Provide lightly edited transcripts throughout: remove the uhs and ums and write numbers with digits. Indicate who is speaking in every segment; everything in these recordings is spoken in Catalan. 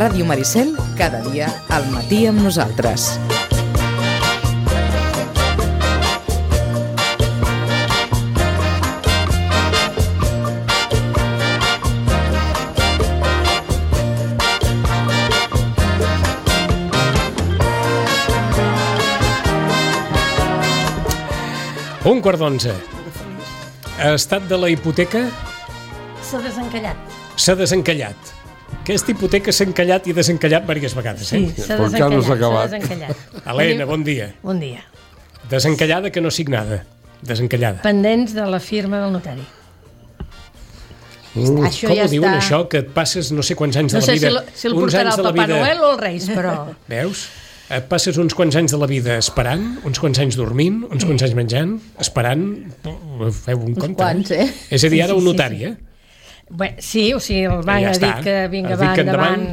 Speaker 1: Ràdio Maricel, cada dia al matí amb nosaltres.
Speaker 2: Un quart d'11. Estat de la hipoteca?
Speaker 3: S'ha desencallat.
Speaker 2: S'ha desencallat. Aquesta hipoteca s'ha encallat i desencallat diverses vegades,
Speaker 3: Sí, s'ha desencallat.
Speaker 2: Helena, bon dia.
Speaker 3: Bon dia.
Speaker 2: Desencallada que no signada. Desencallada.
Speaker 3: Pendents de la firma del notari.
Speaker 4: Això
Speaker 2: Com
Speaker 4: ja
Speaker 2: ho diuen,
Speaker 4: està.
Speaker 2: això, que et passes no sé quants anys
Speaker 3: No
Speaker 2: de la
Speaker 3: sé
Speaker 2: vida?
Speaker 3: si el
Speaker 2: uns
Speaker 3: portarà
Speaker 2: anys
Speaker 3: el
Speaker 2: de la
Speaker 3: Papa
Speaker 2: vida-
Speaker 3: Noel o els Reis, però...
Speaker 2: Veus? Et passes uns quants anys de la vida esperant, uns quants anys dormint, uns quants anys menjant, esperant... Feu un compte.
Speaker 4: quants, eh?
Speaker 2: És a dir, ara
Speaker 3: Sí,
Speaker 2: un
Speaker 3: sí,
Speaker 2: notari,
Speaker 3: sí.
Speaker 2: eh?
Speaker 3: Bé, sí, o sigui, el banc
Speaker 2: Ja
Speaker 3: ha
Speaker 2: està.
Speaker 3: dit que vinga,
Speaker 2: Has dit
Speaker 3: va
Speaker 2: que
Speaker 3: endavant,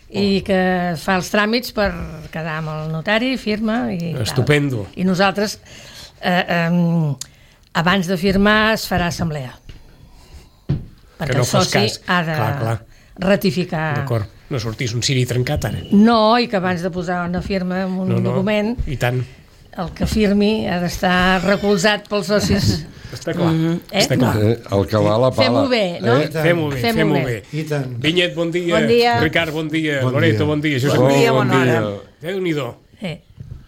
Speaker 3: i
Speaker 2: Oh.
Speaker 3: que fa els tràmits per quedar amb el notari, firma i
Speaker 2: Estupendo.
Speaker 3: tal. I nosaltres, abans de firmar, es farà assemblea. Perquè
Speaker 2: no
Speaker 3: el
Speaker 2: fos
Speaker 3: soci
Speaker 2: cas.
Speaker 3: ha de
Speaker 2: Clar.
Speaker 3: ratificar.
Speaker 2: D'acord. No sortís un ciri trencat, ara.
Speaker 3: No, i que abans de posar una firma en un document,
Speaker 2: I tant.
Speaker 3: el que firmi ha d'estar recolzat pels socis.
Speaker 2: Està clar.
Speaker 3: Eh?
Speaker 2: Està clar.
Speaker 5: El que va a la pala.
Speaker 3: Fem-ho bé, no?
Speaker 2: Fem-ho bé,
Speaker 3: Fem-ho
Speaker 2: fem-ho
Speaker 3: bé.
Speaker 2: bé.
Speaker 6: I tant.
Speaker 2: Vinyet, bon dia.
Speaker 4: Bon dia.
Speaker 2: Ricard, bon dia.
Speaker 6: Bon
Speaker 2: Loreto,
Speaker 6: dia.
Speaker 2: bon dia. Josep,
Speaker 5: Bon
Speaker 2: bon
Speaker 5: dia,
Speaker 2: dia.
Speaker 5: bona hora.
Speaker 2: Déu-n'hi-do.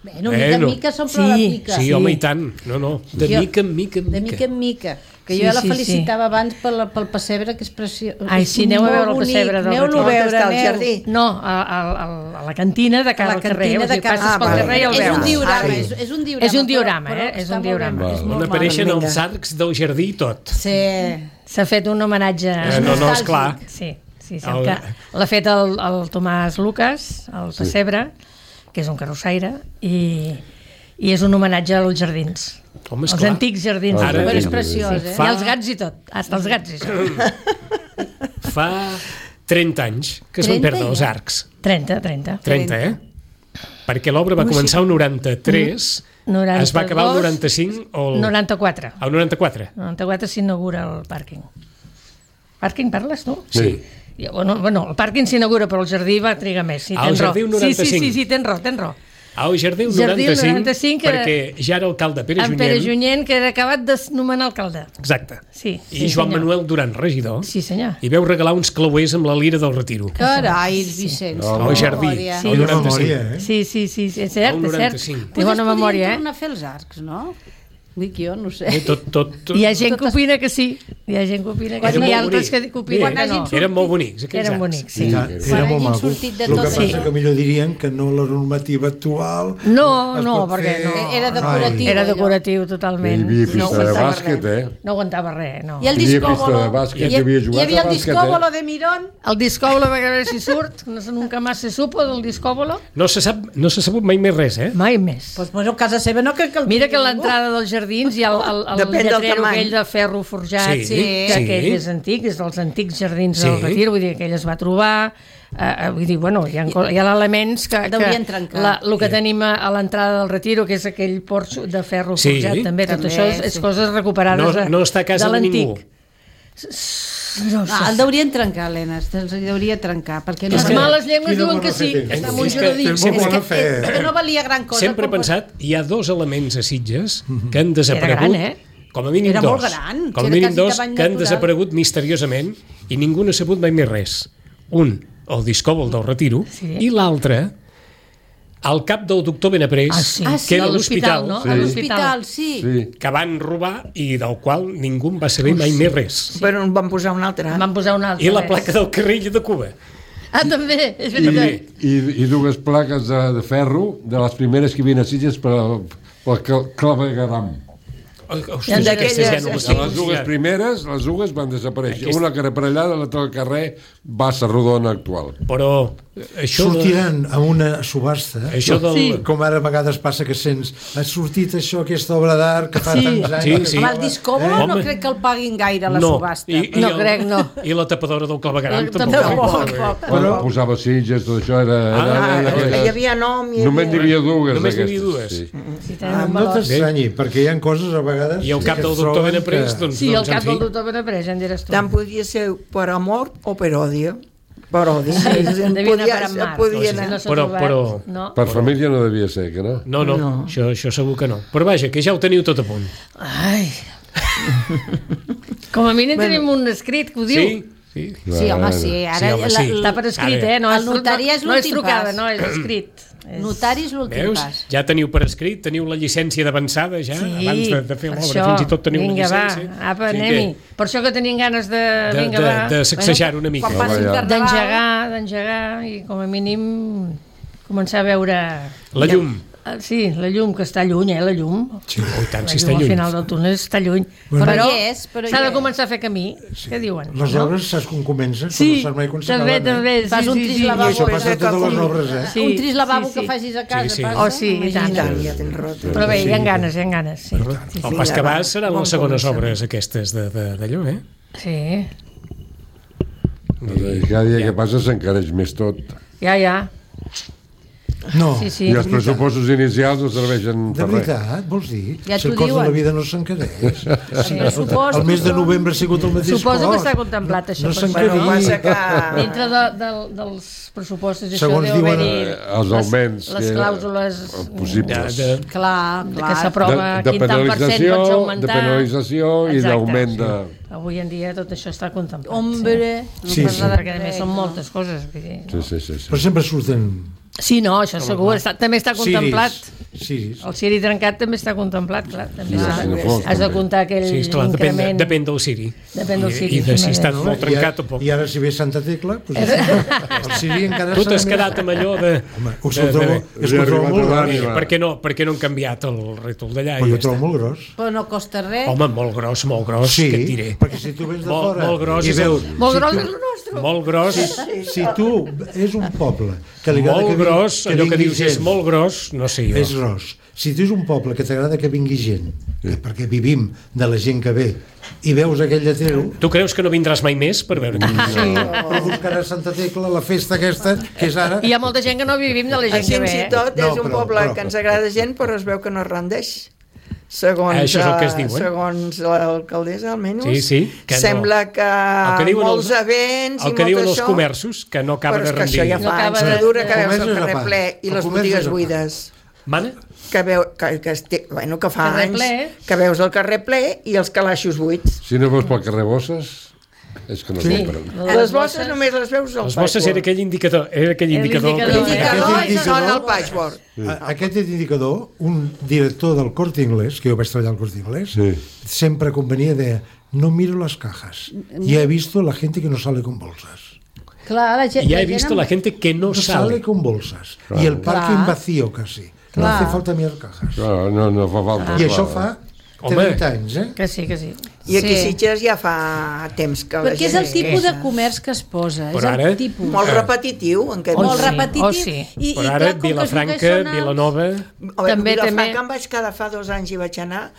Speaker 4: Bueno, mica en mica s'omple la pica.
Speaker 2: Sí, home, i tant. No. De
Speaker 4: Jo-
Speaker 2: mica en mica en
Speaker 4: De
Speaker 2: mica.
Speaker 4: mica en mica. Que
Speaker 3: Sí,
Speaker 4: jo la
Speaker 3: sí,
Speaker 4: felicitava abans pel pessebre, que és preciós.
Speaker 3: Ai, sí, aneu a veure el pessebre del
Speaker 4: Aneu-lo a
Speaker 3: Record.
Speaker 4: veure,
Speaker 7: Està al
Speaker 4: aneu.
Speaker 7: jardí.
Speaker 3: No, a la cantina de cara
Speaker 4: A la
Speaker 3: al carrer.
Speaker 4: cantina
Speaker 3: O sigui,
Speaker 4: de cara-
Speaker 3: passes pel
Speaker 7: vale.
Speaker 3: carrer i el
Speaker 4: És
Speaker 3: veus.
Speaker 4: un diorama,
Speaker 7: Ah, sí.
Speaker 4: és un diorama.
Speaker 3: És un diorama,
Speaker 4: però
Speaker 3: és
Speaker 4: està
Speaker 3: un
Speaker 4: molt
Speaker 3: diorama.
Speaker 4: ben, és
Speaker 2: On
Speaker 4: molt
Speaker 2: apareixen
Speaker 4: maco.
Speaker 2: els arcs del jardí i tot.
Speaker 4: Sí.
Speaker 3: S'ha fet un homenatge...
Speaker 2: No, esclar.
Speaker 3: Sí,
Speaker 2: El-
Speaker 3: que l'ha fet el Tomàs Lucas, el pessebre, que és un carrossaire, i és un homenatge als jardins.
Speaker 2: Home,
Speaker 3: Els
Speaker 2: esclar.
Speaker 3: antics jardins.
Speaker 2: Ara-
Speaker 3: Però
Speaker 4: és preciós, eh?
Speaker 3: I els gats i tot, hasta els gats i tot.
Speaker 2: Fa 30 anys que es van
Speaker 4: 30
Speaker 2: perdre els
Speaker 4: ja?
Speaker 2: arcs.
Speaker 3: 30.
Speaker 2: 30, eh? Perquè l'obra va començar el 93, es va acabar el 95 o el...
Speaker 3: 94.
Speaker 2: El 94.
Speaker 3: 94 s'inaugura el pàrquing. Pàrquing parles, tu?
Speaker 5: Sí.
Speaker 3: Bueno, el pàrquing s'inaugura, però el jardí va trigar més. Sí,
Speaker 2: El
Speaker 3: tens
Speaker 2: jardí
Speaker 3: raó.
Speaker 2: el 95.
Speaker 3: Sí, tens raó.
Speaker 2: Al jardí el
Speaker 3: Jardí el
Speaker 2: 95,
Speaker 3: 95,
Speaker 2: perquè ja era alcalde Pere
Speaker 3: En Pere
Speaker 2: Junyent.
Speaker 3: Junyent, que era acabat de nomenar alcalde.
Speaker 2: Exacte.
Speaker 3: Sí,
Speaker 2: I Joan
Speaker 3: senyor.
Speaker 2: Manuel Duran, regidor.
Speaker 3: Sí, senyor.
Speaker 2: I veu regalar uns clauers amb la lira del Retiro.
Speaker 4: Carai, Vicenç.
Speaker 2: Al jardí.
Speaker 4: memòria.
Speaker 3: Sí.
Speaker 2: El
Speaker 6: Quina
Speaker 2: 95.
Speaker 6: memòria, eh?
Speaker 3: Sí, és cert,
Speaker 2: El
Speaker 3: és cert.
Speaker 2: 95.
Speaker 3: Té bona memòria,
Speaker 4: tornar a fer els arcs, no? Dic jo, no sé.
Speaker 2: Tot.
Speaker 3: Hi ha gent que opina que sí. Hi ha gent que opina que
Speaker 2: Eren
Speaker 3: sí. Hi ha
Speaker 2: molt
Speaker 3: altres
Speaker 2: bonics.
Speaker 3: que opinen que no.
Speaker 2: Eren molt bonics, aquells
Speaker 3: Eren
Speaker 2: arcs.
Speaker 3: bonics, sí.
Speaker 6: Ja,
Speaker 4: Quan
Speaker 6: era molt
Speaker 4: hagin
Speaker 6: maco.
Speaker 4: sortit de
Speaker 6: El que
Speaker 4: tot.
Speaker 6: passa
Speaker 3: Sí.
Speaker 6: que millor dirien que no la normativa actual...
Speaker 3: No,
Speaker 6: es
Speaker 3: no,
Speaker 6: pot
Speaker 3: perquè
Speaker 6: fer-
Speaker 3: no.
Speaker 4: Era decoratiu.
Speaker 3: Era
Speaker 4: allò.
Speaker 3: decoratiu totalment.
Speaker 5: Hi havia pista de
Speaker 3: aguantava
Speaker 5: bàsquet,
Speaker 3: res.
Speaker 5: eh?
Speaker 3: No aguantava res, no.
Speaker 4: I el
Speaker 5: Hi havia pista
Speaker 4: discòbolo.
Speaker 5: de bàsquet,
Speaker 4: Hi
Speaker 5: hi havia jugat
Speaker 4: hi havia
Speaker 5: a
Speaker 4: el
Speaker 5: bàsquet,
Speaker 4: discòbolo de Mirón.
Speaker 3: El discòbolo, a veure si surt. Nunca más se supo del discòbolo.
Speaker 2: No s'ha sabut mai més res, eh?
Speaker 3: Mai més.
Speaker 4: Pues, bueno, a casa seva no crec que el
Speaker 3: Mira que a
Speaker 4: tingui
Speaker 3: l'entrada dels jardins hi ha el
Speaker 7: Depèn del
Speaker 3: lletrero
Speaker 7: tamany.
Speaker 3: aquell de ferro forjat,
Speaker 2: Sí,
Speaker 3: que
Speaker 2: sí.
Speaker 3: aquell és antic, és dels antics jardins
Speaker 2: Sí.
Speaker 3: del Retiro, vull dir que ell es va trobar, vull dir, bueno, hi ha elements que
Speaker 4: Deurien trencar.
Speaker 3: el que tenim a l'entrada del Retiro, que és aquell porxo de ferro
Speaker 2: Sí.
Speaker 3: forjat, també, tot
Speaker 4: També,
Speaker 3: això és
Speaker 4: sí.
Speaker 3: coses recuperades
Speaker 2: No està a casa de
Speaker 3: l'antic.
Speaker 2: ningú.
Speaker 3: No,
Speaker 4: Ah, el deurien trencar, Helena, el deuria trencar, perquè no,
Speaker 3: les males llengües
Speaker 6: Quina
Speaker 3: diuen
Speaker 6: bona
Speaker 3: que sí,
Speaker 6: fe
Speaker 3: que
Speaker 6: tens.
Speaker 3: està en un
Speaker 2: És que
Speaker 3: jardí.
Speaker 6: tens molt bona fe.
Speaker 4: que no valia gran cosa.
Speaker 2: Sempre he
Speaker 4: però-
Speaker 2: pensat, hi ha dos elements a Sitges que han desaparegut.
Speaker 3: gran, eh?
Speaker 2: Com a mínim
Speaker 4: Era
Speaker 2: dos.
Speaker 4: molt gran,
Speaker 2: Com a
Speaker 4: era
Speaker 2: mínim
Speaker 4: quasi
Speaker 2: dos
Speaker 4: tamany
Speaker 2: que han
Speaker 4: natural.
Speaker 2: desaparegut misteriosament i ningú n'ha sabut mai més res. Un, el discòbol del Retiro,
Speaker 3: Sí.
Speaker 2: i l'altre, al cap del doctor Benaprés, que era
Speaker 3: a
Speaker 2: l'hospital,
Speaker 3: no?
Speaker 5: Sí.
Speaker 3: A
Speaker 4: A
Speaker 3: l'hospital.
Speaker 4: l'hospital, sí.
Speaker 5: Sí.
Speaker 2: que van robar i del qual ningú en va saber mai més res.
Speaker 7: Però en van posar un altre.
Speaker 3: En van posar un altre.
Speaker 2: I la
Speaker 3: res.
Speaker 2: placa del carril de Cuba.
Speaker 3: Ah, també, és
Speaker 2: També.
Speaker 3: veritat.
Speaker 5: I dues plaques de ferro de les primeres que hi havia a Sitges pel clavegaram.
Speaker 2: Hòstia,
Speaker 3: I
Speaker 2: aquestes ja no les
Speaker 5: De
Speaker 2: tinc.
Speaker 5: les dues primeres, les dues van desaparèixer. Una que era per allà, l'altra al carrer Bassa Rodona actual.
Speaker 2: Però això
Speaker 6: Sortiran a una subhasta,
Speaker 2: Això del...
Speaker 3: Sí.
Speaker 6: com ara a vegades passa que sents ha sortit això, aquesta obra d'art que fa
Speaker 3: Sí.
Speaker 6: tants anys.
Speaker 2: Sí,
Speaker 6: que
Speaker 2: sí.
Speaker 4: Amb
Speaker 6: fa-
Speaker 4: el discòbolo no
Speaker 2: Home.
Speaker 4: crec que el paguin gaire a la
Speaker 2: no.
Speaker 4: subhasta.
Speaker 3: No crec, no.
Speaker 2: I la tapadora del clavegaram
Speaker 3: La
Speaker 2: tampoc.
Speaker 3: tapadora.
Speaker 5: Quan posava Sitges, tot això era
Speaker 7: Hi havia nom,
Speaker 5: només n'hi havia dues
Speaker 2: Només n'hi havia
Speaker 5: d'aquestes.
Speaker 2: dues.
Speaker 5: Sí.
Speaker 3: Sí, tenen un
Speaker 6: No
Speaker 3: valor.
Speaker 6: t'estranyi, perquè hi ha coses a vegades...
Speaker 2: I al cap
Speaker 6: que
Speaker 2: del
Speaker 6: es
Speaker 2: doctor
Speaker 6: troben
Speaker 2: Benaprés,
Speaker 6: que-
Speaker 2: doncs,
Speaker 3: Sí, el
Speaker 2: doncs, en
Speaker 3: cap
Speaker 2: fi.
Speaker 3: del doctor Benaprés, ja en diràs tu.
Speaker 7: Tant podia ser per amor o per odio. Però
Speaker 3: Devia anar per en mar.
Speaker 7: podia
Speaker 3: Si
Speaker 7: anar.
Speaker 3: no s'ha
Speaker 2: Però-
Speaker 3: trobat,
Speaker 2: però-
Speaker 3: no.
Speaker 5: Per família no devia ser, que no?
Speaker 2: No. Això segur que no. Però vaja, que ja ho teniu tot a punt.
Speaker 3: Ai. Com a mínim tenim un escrit que ho diu.
Speaker 2: Sí? Sí.
Speaker 4: Sí, home, sí. Ara
Speaker 2: Sí, home, sí.
Speaker 3: Està per escrit,
Speaker 2: Ara,
Speaker 3: No,
Speaker 4: el notari és
Speaker 3: no és
Speaker 4: l'últim
Speaker 3: trucada,
Speaker 4: pas.
Speaker 3: no, és escrit.
Speaker 4: Notari és l'últim
Speaker 2: Veus?
Speaker 4: pas.
Speaker 2: Ja teniu per escrit, teniu la llicència d'avançada ja, abans de fer l'obra.
Speaker 3: això.
Speaker 2: Fins i tot teniu
Speaker 3: Vinga,
Speaker 2: la llicència.
Speaker 3: va, apa, anem-hi. Per això que tenien ganes
Speaker 2: De sacsejar una mica.
Speaker 4: Quan passi el
Speaker 5: Bueno,
Speaker 4: carnaval...
Speaker 3: d'engegar i com a mínim començar a veure...
Speaker 2: La llum.
Speaker 3: Sí, la llum, que està lluny, la llum.
Speaker 2: Oh, i tant,
Speaker 3: La
Speaker 2: si
Speaker 3: llum
Speaker 2: està
Speaker 3: al
Speaker 2: lluny.
Speaker 3: final del túnel està lluny.
Speaker 6: Bueno.
Speaker 3: Però
Speaker 4: Hi és, però
Speaker 3: s'ha
Speaker 4: hi
Speaker 3: de
Speaker 4: és.
Speaker 3: començar a fer camí, què diuen?
Speaker 6: Les
Speaker 3: no?
Speaker 6: obres saps com comença?
Speaker 3: Sí,
Speaker 6: No saps mai quan
Speaker 3: també,
Speaker 6: s'acaben,
Speaker 3: també.
Speaker 4: Fas un tris lavabo.
Speaker 6: I això passa a
Speaker 7: Sí.
Speaker 6: totes les obres,
Speaker 3: Sí,
Speaker 4: un tris lavabo
Speaker 3: sí, sí.
Speaker 4: que facis a casa,
Speaker 2: Sí, sí.
Speaker 4: passa?
Speaker 3: Oh, sí, i tant.
Speaker 7: I tant, ja tens raó.
Speaker 3: Però bé, hi ha ganes, sí.
Speaker 2: El pas que vas seran
Speaker 7: Bon
Speaker 2: les segones
Speaker 7: començament.
Speaker 2: obres aquestes d'allò, eh?
Speaker 3: Sí,
Speaker 5: I cada dia que passa s'encareix més tot.
Speaker 3: ja.
Speaker 6: No,
Speaker 3: Sí.
Speaker 5: I els pressupostos inicials no serveixen
Speaker 6: de
Speaker 5: per res.
Speaker 6: veritat, vols dir?
Speaker 4: Ja
Speaker 6: Si el
Speaker 4: t'ho
Speaker 6: cost de la
Speaker 4: diuen.
Speaker 6: vida no s'encareix.
Speaker 3: Sí.
Speaker 6: El mes de novembre ha sigut el mateix
Speaker 3: Suposo que
Speaker 6: cost.
Speaker 3: està contemplat, això,
Speaker 6: No
Speaker 3: per
Speaker 7: Bueno,
Speaker 6: s'encareix.
Speaker 7: passa que...
Speaker 3: Dintre dels pressupostos, això
Speaker 6: Segons
Speaker 3: deu
Speaker 6: diuen,
Speaker 3: haver-hi
Speaker 5: els augments
Speaker 3: les
Speaker 5: que-
Speaker 3: clàusules
Speaker 5: possibles.
Speaker 4: Clar,
Speaker 3: que
Speaker 4: clar.
Speaker 3: s'aprova
Speaker 5: De
Speaker 3: quin tant per cent pots augmentar.
Speaker 5: de penalització i
Speaker 3: Exacte.
Speaker 5: d'augment de...
Speaker 3: Avui en dia tot això està contemplat.
Speaker 4: Hombre,
Speaker 6: Sí,
Speaker 4: no
Speaker 6: sí.
Speaker 4: parla de
Speaker 3: Perquè a més són moltes coses. Vull dir, no?
Speaker 5: Sí.
Speaker 6: Però sempre surten
Speaker 3: Sí, no, això segur, també està contemplat.
Speaker 6: Ciris.
Speaker 3: El ciri trencat també està contemplat, clar. També
Speaker 5: Sí,
Speaker 3: s'ha-
Speaker 5: sí, no fos,
Speaker 3: has de
Speaker 5: també.
Speaker 3: comptar aquell
Speaker 2: Sí, esclar,
Speaker 3: increment.
Speaker 2: depèn del ciri.
Speaker 3: Depèn del ciri,
Speaker 2: I de si
Speaker 3: sí,
Speaker 2: està
Speaker 3: no?
Speaker 2: molt trencat o poc.
Speaker 6: I ara si ve Santa Tecla, doncs, el Siri encara
Speaker 2: Tu
Speaker 6: serà
Speaker 2: t'has
Speaker 6: més-
Speaker 2: quedat amb allò de...
Speaker 6: Home, us el trobo, és que ho trobo molt gros.
Speaker 2: Per què no han canviat el rètol d'allà?
Speaker 6: Però
Speaker 2: I
Speaker 6: jo
Speaker 2: ja
Speaker 6: trobo
Speaker 2: està.
Speaker 6: molt gros.
Speaker 4: Però no costa res.
Speaker 2: Home, molt gros,
Speaker 6: Sí,
Speaker 2: què et diré?
Speaker 6: perquè si tu vens de
Speaker 2: Molt-
Speaker 6: fora
Speaker 2: molt gros
Speaker 6: i
Speaker 2: és
Speaker 6: veus...
Speaker 3: Molt
Speaker 6: si
Speaker 3: gros
Speaker 6: tu-
Speaker 3: és el nostre.
Speaker 2: Molt gros,
Speaker 6: Si tu és un poble que li agrada
Speaker 2: molt gros, allò que
Speaker 6: vingui
Speaker 2: dius és
Speaker 6: gent,
Speaker 2: molt gros, no sé jo.
Speaker 6: és gros. Si tu és un poble que t'agrada que vingui gent, perquè vivim de la gent que ve, i veus aquell lletero,
Speaker 2: Tu creus que no vindràs mai més per veure què
Speaker 6: però buscaràs Santa Tecla, la festa aquesta, que és ara...
Speaker 3: I hi ha molta gent que no vivim de la gent que
Speaker 7: Fins
Speaker 3: ve.
Speaker 7: i tot
Speaker 6: No,
Speaker 7: és un
Speaker 6: però-
Speaker 7: poble
Speaker 6: però-
Speaker 7: que ens agrada gent, però es veu que no es rendeix. Segons,
Speaker 2: Això és el que es diu, eh?
Speaker 7: segons l'alcaldessa, almenys,
Speaker 2: Sí, que no.
Speaker 7: sembla que
Speaker 2: El que diuen
Speaker 7: molts
Speaker 2: els-
Speaker 7: events
Speaker 2: el
Speaker 7: i
Speaker 2: que
Speaker 7: molt
Speaker 2: diuen els
Speaker 7: això,
Speaker 2: comerços, que no acaba
Speaker 7: però
Speaker 2: de
Speaker 7: és que això
Speaker 2: rendir.
Speaker 7: ja
Speaker 3: No
Speaker 7: fa
Speaker 3: acaba
Speaker 7: anys
Speaker 3: de-
Speaker 7: que dura, que
Speaker 6: El
Speaker 7: veus
Speaker 6: comerç
Speaker 7: el
Speaker 6: és a
Speaker 7: carrer
Speaker 6: part.
Speaker 7: ple i
Speaker 6: El
Speaker 7: les
Speaker 6: comerç
Speaker 7: botigues
Speaker 6: és a part.
Speaker 7: buides.
Speaker 2: Mana?
Speaker 7: Bueno, que fa
Speaker 3: Carrer
Speaker 7: anys
Speaker 3: ple.
Speaker 7: que veus el carrer ple i els calaixos buits.
Speaker 5: Si no veus pel carrer Bosses, és que no compren.
Speaker 7: Les bosses només les veus al
Speaker 2: Les bosses era aquell indicador.
Speaker 3: L'indicador,
Speaker 7: L'indicador
Speaker 6: Aquest
Speaker 7: són
Speaker 6: indicador-
Speaker 7: al patchwork.
Speaker 6: Aquest indicador, un director del Corte Inglés, que jo vaig treballar al Corte Inglés,
Speaker 5: Sí.
Speaker 6: sempre convenia de no miro las cajas. Ya he visto la gente que no sale con bolsas.
Speaker 4: Clar, la gent,
Speaker 2: Ja he
Speaker 4: la gent
Speaker 2: visto
Speaker 4: amb-
Speaker 2: la gente que no
Speaker 6: No sale
Speaker 2: sale.
Speaker 6: con bolsas. Y el parking
Speaker 4: Clar.
Speaker 6: vacío casi. No
Speaker 4: Clar.
Speaker 6: hace falta mirar cajas.
Speaker 5: Clar, no fa falta.
Speaker 6: I això fa
Speaker 2: Home.
Speaker 6: 30 anys, eh?
Speaker 3: Que sí, que sí.
Speaker 7: I aquí a
Speaker 4: Sí.
Speaker 7: Sitges ja fa temps que la
Speaker 4: Perquè és
Speaker 7: gent
Speaker 4: el tipus de
Speaker 7: queixa.
Speaker 4: comerç que es posa.
Speaker 2: Però
Speaker 4: És
Speaker 2: ara-
Speaker 4: el tipus.
Speaker 7: Molt repetitiu, en aquest
Speaker 3: Oh,
Speaker 4: Molt
Speaker 3: sí.
Speaker 4: repetitiu.
Speaker 3: Oh, sí.
Speaker 4: I,
Speaker 2: Però
Speaker 4: i
Speaker 2: ara
Speaker 4: clar, com que
Speaker 2: Vilafranca,
Speaker 4: els lloguers són alts-
Speaker 2: Vilanova...
Speaker 3: També,
Speaker 7: Vilafranca
Speaker 3: també.
Speaker 7: em vaig quedar fa 2 anys i vaig anar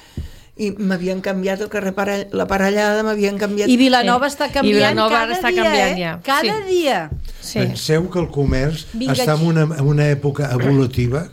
Speaker 7: i m'havien canviat el carrer la parellada, m'havien canviat...
Speaker 4: I Vilanova
Speaker 3: Sí.
Speaker 4: està
Speaker 3: I
Speaker 4: canviant
Speaker 3: Vilanova
Speaker 4: cada
Speaker 3: ara està
Speaker 4: dia,
Speaker 3: canviant
Speaker 4: eh?
Speaker 3: ja.
Speaker 4: Cada
Speaker 3: Sí.
Speaker 4: dia.
Speaker 3: Sí.
Speaker 6: Penseu que el comerç
Speaker 4: Vinga,
Speaker 6: està en una època evolutiva.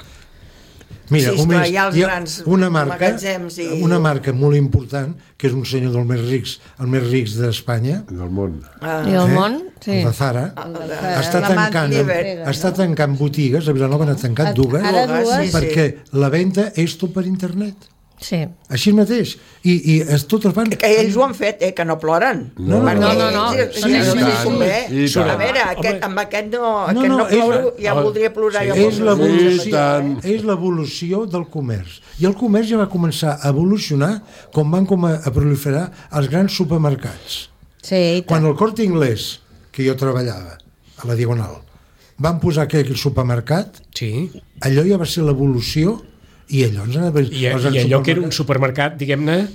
Speaker 6: Mira,
Speaker 7: Sí, esclar, hi ha els grans
Speaker 6: una marca,
Speaker 7: magatzems i-
Speaker 6: una marca molt important, que és un senyor del més rics, el més rics d'Espanya,
Speaker 5: Del món.
Speaker 3: I el món, sí.
Speaker 6: el de Zara, està
Speaker 7: la
Speaker 6: tancant,
Speaker 7: Mantiver.
Speaker 6: està tancant botigues, a Vilanova n'ha tancat dues,
Speaker 4: Ara dues.
Speaker 6: perquè la venda és tot per internet.
Speaker 3: Sí.
Speaker 6: Així mateix. I totes van...
Speaker 7: Que ells ho han fet, que no ploren.
Speaker 6: No,
Speaker 7: Perquè
Speaker 3: no.
Speaker 7: ells-
Speaker 3: Sí,
Speaker 7: ells
Speaker 3: sí,
Speaker 7: els
Speaker 3: sí.
Speaker 7: convé.
Speaker 5: I tant.
Speaker 7: A veure,
Speaker 2: Home.
Speaker 7: amb aquest no
Speaker 6: No,
Speaker 7: ploro, ja
Speaker 2: home,
Speaker 7: voldria plorar.
Speaker 2: sí.
Speaker 7: jo
Speaker 6: És
Speaker 7: ploro.
Speaker 6: l'evolució, és l'evolució del comerç. I el comerç ja va començar a evolucionar quan van a proliferar els grans supermercats.
Speaker 4: Sí, i tant.
Speaker 6: Quan el Corte Inglés, que jo treballava a la Diagonal, van posar aquell supermercat,
Speaker 2: Sí.
Speaker 6: allò ja va ser l'evolució i allò ens anava...
Speaker 2: I allò que era un supermercat, diguem-ne,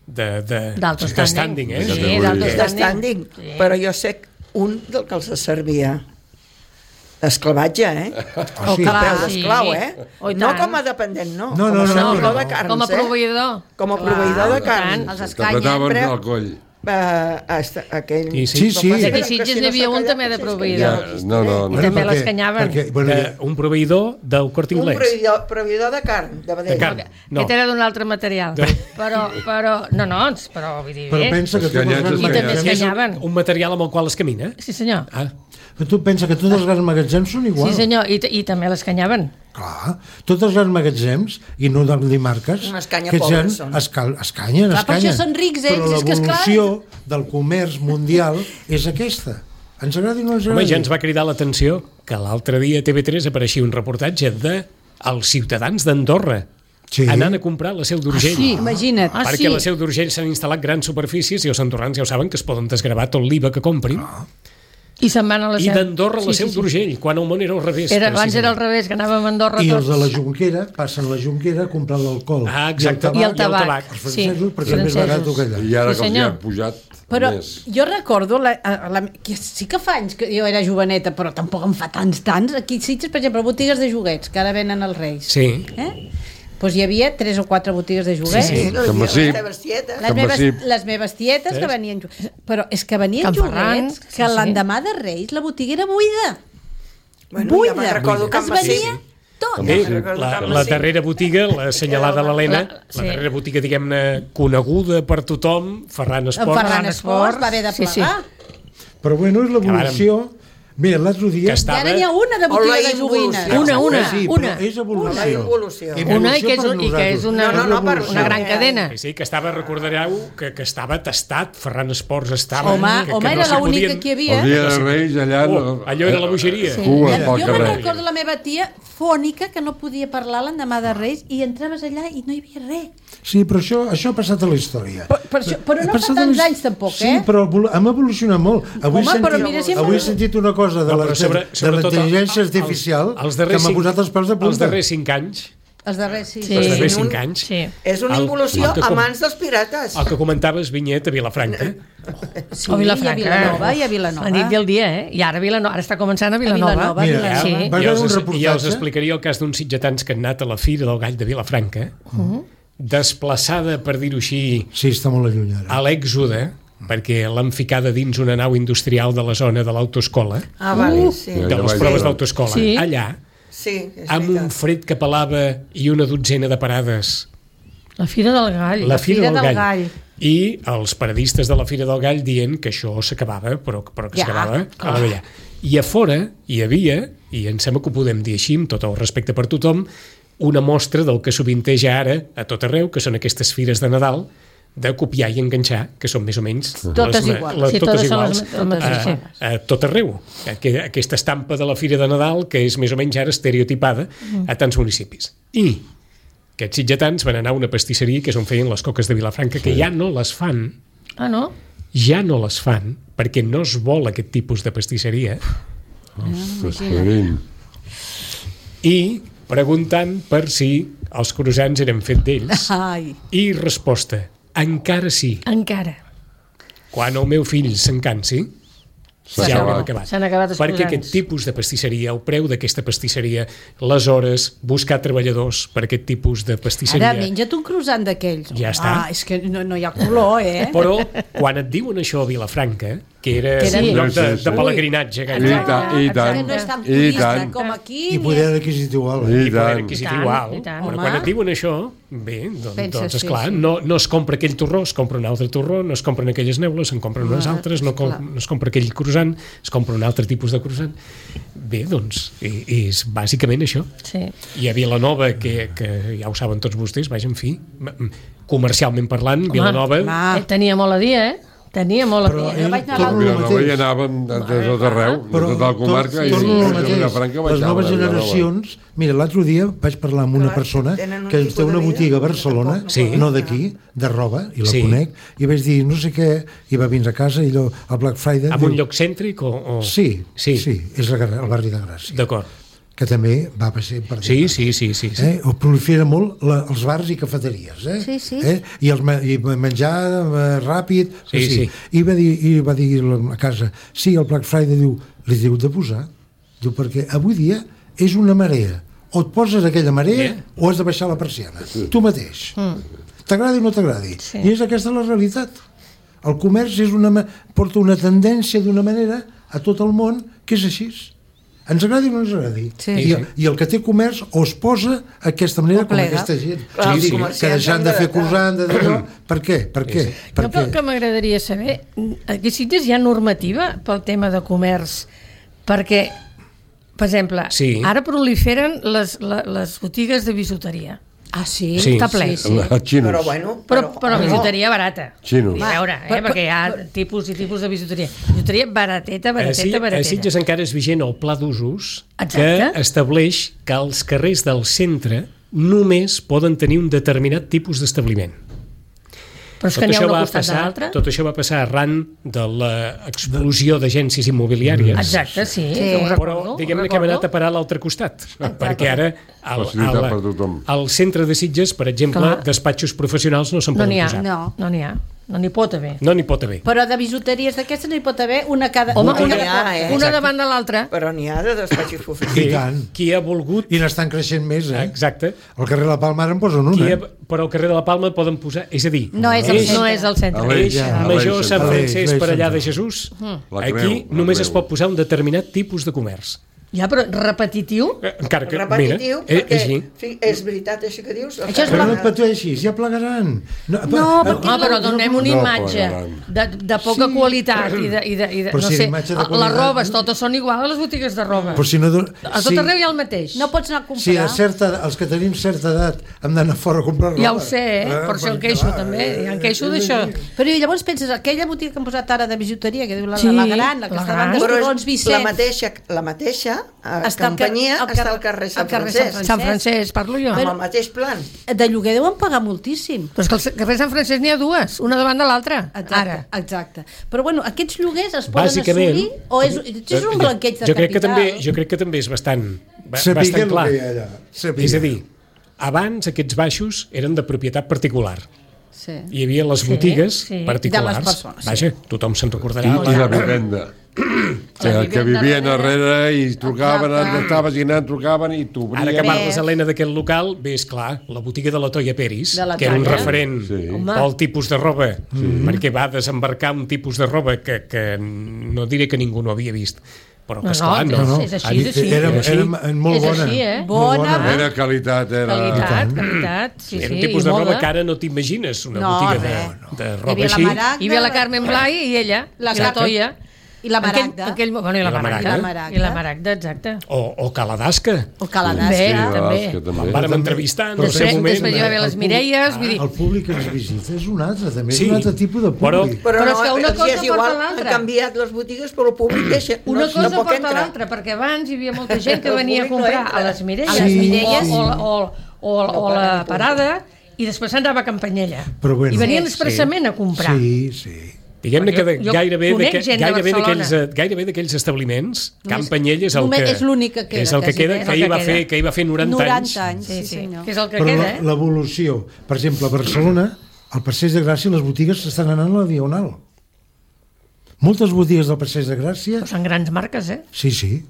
Speaker 3: D'alto
Speaker 2: de standing, eh?
Speaker 3: Sí, d'alto
Speaker 7: De standing.
Speaker 3: Sí.
Speaker 7: Però jo sé un del que els servia esclavatge,
Speaker 6: Oh, sí.
Speaker 7: A peu
Speaker 3: Sí.
Speaker 7: d'esclau,
Speaker 3: Oh, i
Speaker 7: no
Speaker 3: tant.
Speaker 7: com a dependent, no.
Speaker 6: No,
Speaker 7: com
Speaker 6: no,
Speaker 7: a
Speaker 6: no,
Speaker 7: servidor
Speaker 6: no.
Speaker 7: de carns,
Speaker 3: Com a proveïdor.
Speaker 7: Com a proveïdor de carns.
Speaker 4: Els escanyen.
Speaker 5: T'apretaven
Speaker 7: sempre-
Speaker 5: el coll.
Speaker 7: Aquell...
Speaker 2: Sí,
Speaker 6: Sí, sí.
Speaker 3: I aquí
Speaker 7: Que
Speaker 3: a Sitges
Speaker 7: si
Speaker 3: n'hi havia
Speaker 7: s'ha
Speaker 3: un
Speaker 7: callat,
Speaker 3: també de
Speaker 7: potser és que
Speaker 3: proveïdor.
Speaker 7: ja
Speaker 5: No, no,
Speaker 3: I
Speaker 5: no.
Speaker 3: també l'escanyaven.
Speaker 2: Un proveïdor del Corte
Speaker 7: Un
Speaker 2: Inglés.
Speaker 7: proveïdor de carn, de vedell.
Speaker 2: De carn. No.
Speaker 3: Aquest era d'un altre material. Però, vull dir,
Speaker 6: Però
Speaker 3: bé.
Speaker 6: pensa que tots els
Speaker 5: Escanyats,
Speaker 6: grans
Speaker 3: I també
Speaker 5: escanyats.
Speaker 2: És
Speaker 3: escanyaven.
Speaker 2: un material amb el qual es camina.
Speaker 3: Sí, senyor.
Speaker 2: Ah,
Speaker 6: Però tu pensa que tots els grans magatzems són iguals.
Speaker 3: Sí, senyor, i també l'escanyaven.
Speaker 6: Clar, tots els grans magatzems, i no de marques,
Speaker 7: Una escanya
Speaker 6: aquests
Speaker 7: pobres
Speaker 6: gens
Speaker 7: són.
Speaker 6: escanyen.
Speaker 4: Clar, per això són rics,
Speaker 6: Però
Speaker 4: ells, és que esclar.
Speaker 6: l'evolució del comerç mundial és aquesta. Ens agradi o no ens
Speaker 2: Home,
Speaker 6: agradi?
Speaker 2: ja ens va cridar l'atenció que l'altre dia a TV3 apareixia un reportatge de els ciutadans d'Andorra anant a comprar la Seu d'Urgell.
Speaker 4: Sí, imagina't.
Speaker 2: Perquè a la Seu d'Urgell s'han instal·lat grans superfícies i els andorrans ja ho saben que es poden desgravar tot l'IVA que comprin.
Speaker 3: I se'n van a la
Speaker 2: I
Speaker 3: Seu.
Speaker 2: d'Andorra a la Seu d'Urgell, quan el món era al revés.
Speaker 3: Abans era al revés, que anàvem a Andorra
Speaker 6: I els
Speaker 3: tots.
Speaker 6: de la Jonquera passen a la Jonquera a comprar l'alcohol.
Speaker 2: Ah, exacte.
Speaker 3: I el tabac.
Speaker 6: Els francesos, perquè és més
Speaker 3: francesos.
Speaker 6: barat que allà.
Speaker 5: I ara
Speaker 3: Sí,
Speaker 5: que els hi
Speaker 3: senyor.
Speaker 5: han pujat
Speaker 4: Però
Speaker 5: més.
Speaker 4: jo recordo, que sí que fa anys que jo era joveneta, però tampoc en fa tants. Aquí a Sitges, per exemple, botigues de joguets, que ara venen els Reis.
Speaker 2: Sí.
Speaker 4: Doncs hi havia 3 o 4 botigues de joguets.
Speaker 2: Sí, sí.
Speaker 5: Que sí.
Speaker 4: Les meves tietes que venien... Però és que venien
Speaker 3: Can Ferran,
Speaker 4: joguets que l'endemà de Reis la botiga era buida.
Speaker 7: Bueno, ja me'n recordo que
Speaker 4: Es venia tot.
Speaker 2: Bé,
Speaker 7: recordo
Speaker 2: la
Speaker 7: que
Speaker 2: darrera botiga, la assenyalada a l'Helena,
Speaker 3: Sí.
Speaker 2: la darrera botiga, diguem-ne, coneguda per tothom, Ferran Esport,
Speaker 4: Ferran Esport va haver de
Speaker 3: Sí, sí.
Speaker 4: plegar.
Speaker 6: Però bueno, és l'evolució. Mira, l'altre dia...
Speaker 2: que
Speaker 4: I
Speaker 2: estava...
Speaker 4: ara n'hi ha una de botiga
Speaker 7: O la
Speaker 4: de joguines.
Speaker 7: involució.
Speaker 6: Sí,
Speaker 3: una.
Speaker 6: però és evolució.
Speaker 7: La involució.
Speaker 3: Una i que és una,
Speaker 7: No, per
Speaker 3: una gran
Speaker 7: això.
Speaker 3: cadena.
Speaker 2: Sí, que estava, recordareu, que estava tastat, Ferran Esports estava...
Speaker 4: Home,
Speaker 2: que
Speaker 4: era
Speaker 2: s'hi
Speaker 4: l'única
Speaker 2: podien-
Speaker 4: que hi havia.
Speaker 5: El dia de Reis allà...
Speaker 2: allò era la bogeria.
Speaker 5: Cua pel
Speaker 4: Jo me'n
Speaker 5: carrer.
Speaker 4: recordo la meva tia fònica que no podia parlar l'endemà de Reis i entraves allà i no hi havia res.
Speaker 6: Sí, però això ha passat a la història.
Speaker 4: Però no
Speaker 6: Ha
Speaker 4: fa
Speaker 6: passat a
Speaker 4: tants
Speaker 6: la-
Speaker 4: anys tampoc,
Speaker 6: Sí, però hem evolucionat molt. Avui,
Speaker 4: Home, però mira si hem-
Speaker 6: avui he sentit una cosa de
Speaker 2: No,
Speaker 6: la
Speaker 2: però sobre-
Speaker 6: de
Speaker 2: sobretot
Speaker 6: l'intel·ligència
Speaker 2: els-
Speaker 6: artificial
Speaker 2: els
Speaker 6: que
Speaker 2: darrers
Speaker 6: m'ha
Speaker 2: cinc-
Speaker 6: posat els pèls de punta.
Speaker 2: Els darrers 5 anys,
Speaker 4: Els darrers, sí.
Speaker 3: Sí.
Speaker 2: els darrers
Speaker 7: Sí,
Speaker 2: 5 anys,
Speaker 3: Sí.
Speaker 7: És una
Speaker 2: El-
Speaker 7: involució
Speaker 2: el que
Speaker 7: a
Speaker 2: com-
Speaker 7: mans dels pirates.
Speaker 2: el que comentaves, Vinyet, a Vilafranca,
Speaker 4: Sí,
Speaker 3: O Vilafranca.
Speaker 4: I a Vilanova, i a Vilanova.
Speaker 3: La nit i el dia, eh? I ara ara està començant a Vilanova.
Speaker 4: Vilanova,
Speaker 6: Mira,
Speaker 4: Vilanova.
Speaker 3: Sí.
Speaker 6: va haver un
Speaker 2: ja
Speaker 6: reportatge...
Speaker 2: us explicaria el cas d'uns sitgetans que han anat a la Fira del Gall de Vilafranca, desplaçada, per dir-ho així,
Speaker 6: Sí, està molt lluny ara.
Speaker 2: a l'èxode, perquè l'han ficada dins una nau industrial de la zona de l'autoescola,
Speaker 7: Ah, vale, sí.
Speaker 5: Ja,
Speaker 2: de les
Speaker 5: vaig
Speaker 2: proves
Speaker 5: veure.
Speaker 2: d'autoescola.
Speaker 3: Sí.
Speaker 2: Allà,
Speaker 7: Sí, és
Speaker 2: amb un
Speaker 7: veritat.
Speaker 2: fred que pelava i una dotzena de parades,
Speaker 3: La Fira del Gall.
Speaker 2: la Fira del Gall.
Speaker 4: Gall.
Speaker 2: I els paradistes de la Fira del Gall dient que això s'acabava, però que
Speaker 4: Ja,
Speaker 2: s'acabava a la vella. I a fora hi havia, i em sembla que ho podem dir així, amb tot el respecte per tothom, una mostra del que sovinteja ara a tot arreu, que són aquestes fires de Nadal, de copiar i enganxar, que són més o menys...
Speaker 4: Totes iguals.
Speaker 3: Sí,
Speaker 2: totes
Speaker 3: totes són
Speaker 2: iguals.
Speaker 3: les mateixes.
Speaker 2: A tot arreu. Aquesta estampa de la Fira de Nadal, que és més o menys ara estereotipada a tants municipis. I aquests sitgetans van anar a una pastisseria que és on feien les coques de Vilafranca, que ja no les fan,
Speaker 3: Ah, no?
Speaker 2: ja no les fan, perquè no es vol aquest tipus de pastisseria,
Speaker 5: Ostres, carim.
Speaker 2: i preguntant per si els croissants eren fet d'ells.
Speaker 4: Ai.
Speaker 2: I resposta, encara sí.
Speaker 3: Encara.
Speaker 2: Quan el meu fill se'n cansi,
Speaker 5: S'ha
Speaker 2: ja ho hem
Speaker 5: acabat.
Speaker 2: acabat.
Speaker 3: S'han acabat els
Speaker 2: Perquè
Speaker 3: croissants.
Speaker 2: aquest tipus de pastisseria, el preu d'aquesta pastisseria, les hores, buscar treballadors per aquest tipus de pastisseria...
Speaker 4: Ara menja't un croissant d'aquells.
Speaker 2: Ja està.
Speaker 4: Ah, és que no hi ha color, eh?
Speaker 2: Però quan et diuen això a Vilafranca, que era
Speaker 4: Que era-
Speaker 2: un lloc
Speaker 5: Sí, sí, sí.
Speaker 2: de pelegrinatge,
Speaker 5: I
Speaker 2: gairebé,
Speaker 5: tant, i
Speaker 4: Que
Speaker 5: tant,
Speaker 4: no és tan
Speaker 5: i
Speaker 4: turista
Speaker 5: tant.
Speaker 4: com aquí.
Speaker 6: I poder adquisitiu alt.
Speaker 5: I
Speaker 2: i poder
Speaker 5: tant.
Speaker 2: adquisitiu
Speaker 3: I tant,
Speaker 2: alt.
Speaker 3: i tant.
Speaker 2: Però
Speaker 4: Home.
Speaker 2: quan et diuen això, bé,
Speaker 4: Penses,
Speaker 2: doncs
Speaker 4: sí,
Speaker 2: esclar,
Speaker 4: sí.
Speaker 2: no es compra aquell torró, es compra un altre torró, no es compren aquelles neules, se'n compren unes altres, no es compra aquell croissant, es compra un altre tipus de croissant. Bé, doncs, és bàsicament això.
Speaker 3: Sí.
Speaker 2: I a Vilanova, que ja ho saben tots vostès, vaja, en fi, comercialment parlant, Vilanova...
Speaker 3: Tenia molt a dir, eh? Tenia molt a
Speaker 6: Però
Speaker 3: dir.
Speaker 6: ell
Speaker 4: vaig anar a
Speaker 6: torno al
Speaker 5: Vilanova hi
Speaker 6: mateix.
Speaker 5: anaven de tot arreu, de
Speaker 6: Però
Speaker 5: tota la comarca, i
Speaker 6: torno al mateix.
Speaker 5: Vilafranca baixaven
Speaker 6: Les noves
Speaker 5: a Vilanova.
Speaker 6: generacions... Mira, l'altre dia vaig parlar amb una
Speaker 7: Clar,
Speaker 6: persona
Speaker 7: tenen un
Speaker 6: que
Speaker 7: tipus
Speaker 6: té una
Speaker 7: de vida
Speaker 6: botiga a
Speaker 7: que
Speaker 6: Barcelona,
Speaker 7: tampoc no
Speaker 2: Sí.
Speaker 6: no d'aquí, de roba, i la
Speaker 2: Sí.
Speaker 6: conec, i vaig dir no sé què, i va vindre a casa, i allò, al Black Friday...
Speaker 2: En
Speaker 6: diu,
Speaker 2: un lloc cèntric o...
Speaker 6: Sí,
Speaker 2: Sí.
Speaker 6: sí, és al barri de Gràcia,
Speaker 2: D'acord.
Speaker 6: que també va passar per
Speaker 2: Sí,
Speaker 6: allà.
Speaker 2: sí.
Speaker 6: O prolifera molt els bars i cafeteries,
Speaker 4: Sí, sí.
Speaker 6: I i menjar ràpid,
Speaker 2: Sí, sí.
Speaker 6: I va dir a casa, sí, el Black Friday li diu de posar, diu, perquè avui dia és una marea, o et poses aquella marea o has de baixar la persiana, tu mateix, t'agradi o no t'agradi,
Speaker 3: Sí.
Speaker 6: i és aquesta la realitat. El comerç porta una tendència d'una manera a tot el món que és així. Ens agradi o no ens agradi.
Speaker 4: Sí.
Speaker 6: I el que té comerç o es posa d'aquesta manera
Speaker 4: O
Speaker 6: com
Speaker 4: plega.
Speaker 6: aquesta gent.
Speaker 7: Clar, els
Speaker 6: que
Speaker 7: comerciants
Speaker 6: deixant
Speaker 7: han
Speaker 6: de
Speaker 7: de-
Speaker 6: fer croissant, de d'allò. Per què? Per què? Per
Speaker 3: Jo
Speaker 6: què?
Speaker 3: el que m'agradaria saber, aquí sí que hi ha normativa pel tema de comerç Perquè, per exemple,
Speaker 2: Sí.
Speaker 3: ara proliferen les botigues de bisuteria.
Speaker 4: Ah, sí?
Speaker 2: Sí.
Speaker 3: Està ple.
Speaker 5: Els xinos.
Speaker 7: Però bueno...
Speaker 3: Però bisuteria barata.
Speaker 5: Xinos.
Speaker 3: I a veure, perquè hi ha tipus i tipus de bisuteria. Bisuteria barateta.
Speaker 2: A Sitges encara és vigent el pla d'usos que
Speaker 3: Exacte.
Speaker 2: estableix que els carrers del centre només poden tenir un determinat tipus d'establiment.
Speaker 3: Però és que n'hi ha un al costat de l'altre.
Speaker 2: Tot això va passar arran de l'explosió d'agències immobiliàries.
Speaker 3: Exacte, sí.
Speaker 4: Sí.
Speaker 3: Ho
Speaker 2: Però
Speaker 3: recordo,
Speaker 2: diguem-ne que hem anat a parar a l'altre costat, perquè ara
Speaker 5: Facilitat per tothom.
Speaker 2: al centre de Sitges, per exemple,
Speaker 3: Clar.
Speaker 2: despatxos professionals no se'n
Speaker 3: No
Speaker 2: poden
Speaker 3: n'hi ha,
Speaker 2: posar.
Speaker 3: no n'hi ha. No n'hi pot haver.
Speaker 2: No n'hi pot haver.
Speaker 4: Però de bisuteries d'aquestes no hi pot haver una cada...
Speaker 3: Home,
Speaker 7: Botiga,
Speaker 3: una
Speaker 7: Exacte.
Speaker 3: davant de l'altra.
Speaker 7: Però n'hi ha de despatxos professionals.
Speaker 6: I tant.
Speaker 2: Qui ha volgut...
Speaker 6: I n'estan creixent més, eh?
Speaker 2: Exacte.
Speaker 6: Al carrer La Palma ara en posen una.
Speaker 2: Però al carrer de la Palma poden posar... És a dir,
Speaker 4: No és el centre.
Speaker 3: No és el centre.
Speaker 5: Aleix.
Speaker 2: Eix
Speaker 5: Ja.
Speaker 2: Major
Speaker 5: Aleix,
Speaker 2: Sant
Speaker 6: Aleix,
Speaker 2: Francesc per allà de
Speaker 6: Aleix.
Speaker 2: Jesús,
Speaker 5: La
Speaker 2: aquí
Speaker 5: creu, la
Speaker 2: només
Speaker 5: creu.
Speaker 2: es pot posar un determinat tipus de comerç.
Speaker 3: Ja, però repetitiu?
Speaker 2: Encara que,
Speaker 7: Repetitiu,
Speaker 2: mira,
Speaker 7: perquè
Speaker 2: així.
Speaker 7: és veritat això que dius.
Speaker 4: Això és
Speaker 6: Però no et pateixis, ja plegaran.
Speaker 3: Però donem una
Speaker 5: No
Speaker 3: imatge de poca qualitat i de
Speaker 6: Però
Speaker 3: no
Speaker 6: si
Speaker 3: sé,
Speaker 6: imatge de
Speaker 3: les
Speaker 6: qualitat-
Speaker 3: robes totes són iguals a les botigues de roba.
Speaker 6: Però si no...
Speaker 3: A tot arreu hi ha el mateix.
Speaker 4: No pots anar a
Speaker 6: Si a
Speaker 4: comprar.
Speaker 6: els que tenim certa edat hem d'anar fora a comprar roba.
Speaker 3: Ja ho sé, per això em queixo també. Ja em queixo d'això.
Speaker 4: Però i llavors penses, aquella botiga que han posat ara de bijuteria, que diu la
Speaker 3: Sí,
Speaker 4: gran, la que
Speaker 3: la
Speaker 4: està davant
Speaker 3: gran.
Speaker 4: dels
Speaker 7: Però
Speaker 4: torrons
Speaker 7: és
Speaker 4: Vicenç.
Speaker 7: la mateixa
Speaker 4: Està al
Speaker 7: companyia
Speaker 4: al
Speaker 7: està al carrer Sant
Speaker 4: carrer
Speaker 7: Francesc,
Speaker 3: Sant Francesc, parlo jo.
Speaker 7: amb el mateix plan.
Speaker 4: De lloguer deuen pagar moltíssim.
Speaker 3: Però és que al carrer Sant Francesc n'hi ha dues, una davant de l'altra. Ara.
Speaker 4: Exacte. Però bueno, aquests lloguers es poden
Speaker 2: Bàsicament,
Speaker 4: assolir o és un blanqueig de
Speaker 2: jo crec
Speaker 4: capital?
Speaker 2: jo crec que també és bastant
Speaker 6: Sapiguer el
Speaker 2: clar.
Speaker 6: que hi ha allà. Sapiguer.
Speaker 2: És a dir, abans aquests baixos eren de propietat particular.
Speaker 4: Sí.
Speaker 2: Hi havia les botigues
Speaker 3: sí.
Speaker 2: particulars.
Speaker 4: De les persones, sí.
Speaker 2: Vaja, tothom se'n recordarà.
Speaker 5: I la vivenda. Que vivien darrere i trucaven, estaves i anant, trucaven i t'obrien.
Speaker 2: Ara que parles, Helena, d'aquest local, bé, és clar, la botiga de la Toia Peris,
Speaker 4: De la
Speaker 2: que era un
Speaker 4: Toia.
Speaker 2: referent
Speaker 5: Sí.
Speaker 2: pel tipus de roba, perquè va desembarcar un tipus de roba que no diré que ningú no havia vist, però que, esclar, no.
Speaker 3: és així, és així.
Speaker 6: Era
Speaker 2: així.
Speaker 6: molt
Speaker 3: És
Speaker 6: bona.
Speaker 3: així, eh?
Speaker 6: Molt
Speaker 4: Bona.
Speaker 5: Era qualitat, era...
Speaker 3: Qualitat, sí,
Speaker 2: Era
Speaker 3: sí.
Speaker 2: un tipus
Speaker 3: i
Speaker 2: de roba
Speaker 3: moda.
Speaker 2: que ara no t'imagines, una
Speaker 4: No,
Speaker 2: botiga
Speaker 4: res.
Speaker 2: de
Speaker 4: Hi
Speaker 2: roba
Speaker 4: havia la
Speaker 2: així.
Speaker 4: Maragda,
Speaker 3: Hi havia la Carmen Blai i ella,
Speaker 4: La
Speaker 3: i la
Speaker 4: Carmen.
Speaker 3: Toia.
Speaker 4: I la Maragda.
Speaker 3: Bueno, i la Maragda.
Speaker 4: Maragda.
Speaker 3: I la Maragda, exacte.
Speaker 2: O Caladasca.
Speaker 4: O Caladasca.
Speaker 3: Bé,
Speaker 5: Sí,
Speaker 3: també.
Speaker 5: que també.
Speaker 2: Em vàrem entrevistar en el seu
Speaker 3: Després
Speaker 2: moment.
Speaker 3: hi va haver les Mireies, vull dir...
Speaker 6: El públic que ens visita és un altre, també
Speaker 2: Sí,
Speaker 6: és un altre tipus de
Speaker 2: però-
Speaker 6: públic.
Speaker 7: Però
Speaker 3: Però és
Speaker 7: no,
Speaker 3: que una
Speaker 7: els
Speaker 3: cosa
Speaker 7: és igual,
Speaker 3: porta l'altra.
Speaker 7: han canviat les botigues, però el públic deixa,
Speaker 3: Una
Speaker 7: no,
Speaker 3: cosa
Speaker 7: no pot
Speaker 3: porta
Speaker 7: entrar.
Speaker 3: l'altra, perquè abans hi havia molta gent que
Speaker 7: El
Speaker 3: venia a
Speaker 7: públic no
Speaker 3: comprar
Speaker 7: entra.
Speaker 3: a les Mireies,
Speaker 4: A les Mireies.
Speaker 3: o la Parada, i després s'anava a Campanyella.
Speaker 6: Però bueno.
Speaker 3: I venien
Speaker 2: Sí.
Speaker 3: expressament a comprar.
Speaker 6: Sí, sí.
Speaker 2: Diguem-ne que
Speaker 3: Jo
Speaker 2: gairebé
Speaker 3: conec gent de Barcelona.
Speaker 2: d'aquells establiments, Can Panyella és el
Speaker 4: només
Speaker 2: que...
Speaker 4: és l'únic que queda,
Speaker 2: És el que
Speaker 4: quasi
Speaker 2: queda,
Speaker 4: bé.
Speaker 2: que ahir va fer 90 anys.
Speaker 4: 90 anys,
Speaker 3: Sí,
Speaker 4: sí,
Speaker 3: sí,
Speaker 4: senyor.
Speaker 3: que és el que
Speaker 6: Però
Speaker 3: queda, eh?
Speaker 6: l'evolució, per exemple, a Barcelona, al Passeig de Gràcia, les botigues s'estan anant a la Diagonal. Moltes botigues del Passeig de Gràcia...
Speaker 3: Però són grans marques, eh?
Speaker 6: Sí.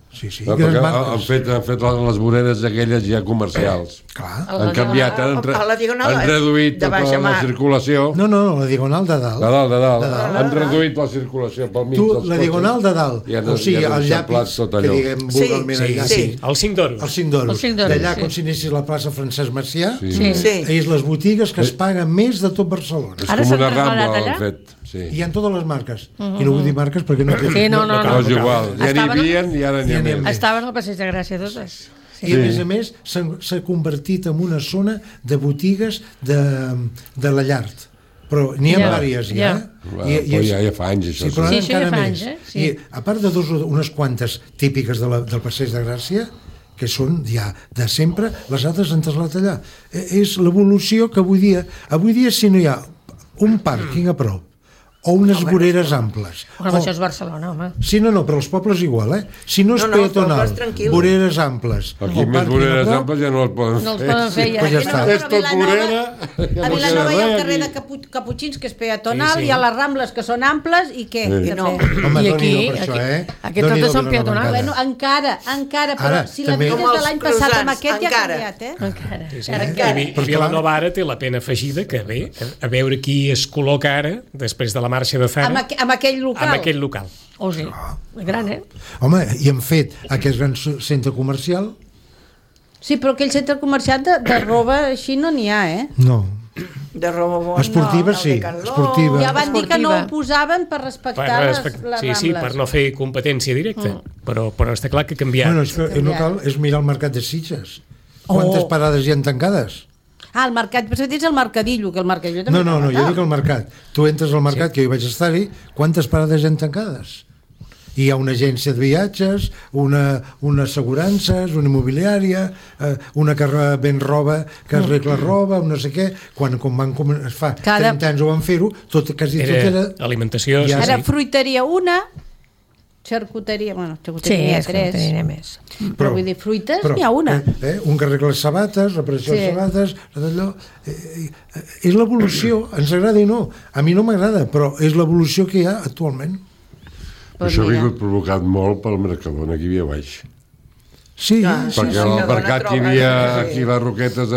Speaker 5: No,
Speaker 6: grans
Speaker 5: perquè
Speaker 6: marques.
Speaker 5: han fet les voreres aquelles ja comercials.
Speaker 6: Clar.
Speaker 5: Han canviat,
Speaker 7: a la Diagonal,
Speaker 5: han reduït
Speaker 7: de
Speaker 5: tota
Speaker 7: baixa
Speaker 5: la
Speaker 7: mar.
Speaker 5: circulació.
Speaker 6: No, la Diagonal de dalt.
Speaker 5: De dalt.
Speaker 6: De dalt.
Speaker 5: Han reduït la circulació pel mig
Speaker 6: Tu,
Speaker 5: dels
Speaker 6: la
Speaker 5: cotxes.
Speaker 6: Diagonal de dalt,
Speaker 5: I han,
Speaker 6: o sigui,
Speaker 5: i han
Speaker 6: el
Speaker 5: eixamplat
Speaker 6: llapis,
Speaker 5: tot
Speaker 6: que
Speaker 5: allò.
Speaker 6: diguem vulgarment
Speaker 7: Sí,
Speaker 6: el llapis,
Speaker 2: Sí, el 5 d'oros.
Speaker 6: el 5 d'oros.
Speaker 3: El 5 d'oros,
Speaker 6: D'allà,
Speaker 3: sí.
Speaker 6: com si anessis a la plaça Francesc Macià,
Speaker 3: Sí.
Speaker 7: Sí.
Speaker 6: és les botigues que es paguen més de tot Barcelona.
Speaker 5: És
Speaker 3: Ara
Speaker 5: com
Speaker 3: s'han
Speaker 5: una
Speaker 3: traslladat
Speaker 5: rambla,
Speaker 3: allà?
Speaker 5: han fet. Sí.
Speaker 6: Hi ha totes les marques. I no vull dir marques perquè no...
Speaker 3: Sí, no.
Speaker 5: No, és igual. Ja n'hi
Speaker 3: Estaven-
Speaker 5: havia i ara n'hi ha
Speaker 6: Ja n'hi ha
Speaker 5: més.
Speaker 6: més.
Speaker 3: Estaven al Passeig de Gràcia totes.
Speaker 6: I a més s'ha convertit en una zona de botigues de la Llart. Però n'hi ha
Speaker 3: Ja,
Speaker 6: diverses ja.
Speaker 3: ja.
Speaker 5: Però ja fa anys, això.
Speaker 6: Sí, però
Speaker 3: Sí,
Speaker 6: ara
Speaker 3: això ja
Speaker 6: encara
Speaker 3: fa
Speaker 6: més.
Speaker 3: anys, eh? Sí.
Speaker 6: I a part de unes quantes típiques del Passeig de Gràcia, que són ja de sempre, les altres han traslladat allà. És l'evolució que avui dia si no hi ha un pàrquing a prop o unes voreres amples.
Speaker 3: Bueno, això és Barcelona, home.
Speaker 6: Sí, no, però els pobles igual, eh? Si no és
Speaker 7: No, els
Speaker 6: peatonal,
Speaker 7: pobles tranquils.
Speaker 6: voreres amples...
Speaker 5: Aquí
Speaker 6: o
Speaker 5: més
Speaker 6: pàrquing a
Speaker 5: voreres
Speaker 6: prop,
Speaker 5: amples ja no els poden
Speaker 3: No els
Speaker 5: fer.
Speaker 3: poden fer ja.
Speaker 6: Pues ja
Speaker 4: Aquí
Speaker 6: està.
Speaker 4: no,
Speaker 5: És
Speaker 4: però
Speaker 5: tot
Speaker 4: a Vilanova-
Speaker 5: vorera.
Speaker 4: A Vilanova hi ha el
Speaker 5: res
Speaker 4: carrer de
Speaker 5: aquí.
Speaker 4: Caputxins, que és peatonal,
Speaker 2: Sí, sí.
Speaker 4: hi ha les Rambles, que són amples, i què?
Speaker 5: Sí.
Speaker 4: Què
Speaker 7: No.
Speaker 4: fer?
Speaker 6: Home,
Speaker 3: I
Speaker 6: Déu-n'hi-do
Speaker 3: aquí-
Speaker 6: per això, eh?
Speaker 3: aquí
Speaker 6: Déu-n'hi-do,
Speaker 3: totes són
Speaker 6: Vilanova
Speaker 3: peatonals.
Speaker 6: encara.
Speaker 4: Bueno, encara, però
Speaker 6: Ara,
Speaker 4: si la
Speaker 6: també-
Speaker 4: mires
Speaker 7: Com
Speaker 4: de
Speaker 7: els
Speaker 4: l'any passat amb
Speaker 7: croissants,
Speaker 4: aquest ja ha
Speaker 7: encara.
Speaker 4: canviat, eh?
Speaker 3: Encara.
Speaker 2: Sí, sí.
Speaker 3: Encara.
Speaker 2: I Vilanova ara té la pena afegida que bé, a veure qui es col·loca ara, després de la marxa de Zara,
Speaker 4: Amb aquell local.
Speaker 2: amb aquell local.
Speaker 3: Oh, sí. Gran, eh?
Speaker 6: Home, i hem fet aquest gran centre comercial?
Speaker 4: Sí, però aquell centre comercial de roba així no n'hi ha, eh?
Speaker 6: No.
Speaker 7: De Robobon,
Speaker 6: Esportiva,
Speaker 7: no,
Speaker 6: sí,
Speaker 7: Decathlon.
Speaker 6: esportiva.
Speaker 4: Ja van dir que no ho
Speaker 3: Esportiva.
Speaker 4: posaven per respectar les Rambles.
Speaker 2: Sí, per no fer competència directa. Però està clar que ha canviat.
Speaker 6: Bueno, és que no cal, és mirar el mercat de Sitges. Quantes parades hi ha tancades?
Speaker 4: El mercat, però és el mercadillo, que el mercadillo també...
Speaker 6: No, jo dic el mercat. Tu entres al mercat, que jo hi vaig estar-hi, quantes parades hi ha tancades? Hi ha una agència de viatges, una assegurances, una immobiliària, una que ven roba, que arregla roba, no sé què. Quan van fa 30 anys ho van fer-ho, quasi tot era...
Speaker 2: Alimentació,
Speaker 6: Ja,
Speaker 4: Ara, fruiteria una, xarcuteria, bueno, xarcuteria n'hi ha tres.
Speaker 3: n'hi ha més.
Speaker 4: Però vull dir, fruites n'hi ha una.
Speaker 6: Un que arregla les sabates, reparació de sabates, d'allò. És l'evolució, ens agrada i no. A mi no m'agrada, però és l'evolució que hi ha actualment.
Speaker 5: Això ha vingut provocat molt pel Mercadona, aquí havia baix.
Speaker 6: Sí,
Speaker 5: Perquè al mercat que hi havia aquí les Roquetes,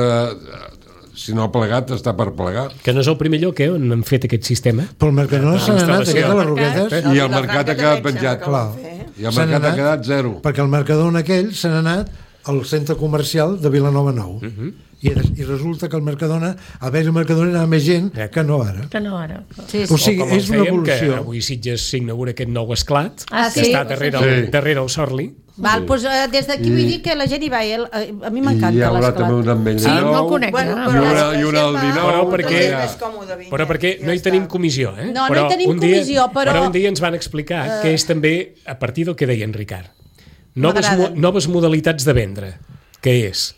Speaker 5: si no ha plegat, està per plegar.
Speaker 2: que no és el primer lloc on han fet aquest sistema.
Speaker 6: Pel Mercadona s'han anat aquest de les Roquetes.
Speaker 5: I el mercat ha quedat penjat.
Speaker 6: Clar.
Speaker 5: I el mercat ha quedat zero.
Speaker 6: Perquè el Mercadona aquell se n'ha anat al centre comercial de Vilanova Nou. I resulta que el Mercadona, a veure, el Mercadona anava més gent que no ara.
Speaker 3: Que no ara.
Speaker 4: Sí,
Speaker 6: O sigui,
Speaker 2: Com
Speaker 6: és una
Speaker 2: fèiem, que
Speaker 6: evolució.
Speaker 2: avui Sitges s'inaugura aquest nou esclat,
Speaker 3: Ah,
Speaker 2: que
Speaker 3: sí?
Speaker 2: està darrere el Sorli.
Speaker 4: Val, doncs, des d'aquí vull dir que la gent hi va, a mi
Speaker 5: I hi
Speaker 4: m'encanta
Speaker 5: haurà també un
Speaker 4: l'esclat.
Speaker 5: ametller
Speaker 3: Sí, no el
Speaker 5: nou.
Speaker 3: conec.
Speaker 7: Bueno,
Speaker 3: no?
Speaker 5: I una al dinou.
Speaker 2: Però perquè-
Speaker 7: és més còmode vindre,
Speaker 2: Però perquè
Speaker 7: ja
Speaker 2: no hi
Speaker 7: està.
Speaker 2: tenim comissió, eh?
Speaker 4: No, no
Speaker 2: però
Speaker 4: hi tenim
Speaker 2: un dia,
Speaker 4: comissió, però-
Speaker 2: un dia ens van explicar que és també a partir del que deia en Ricard.
Speaker 4: M'agraden.
Speaker 2: Noves modalitats de vendre, que és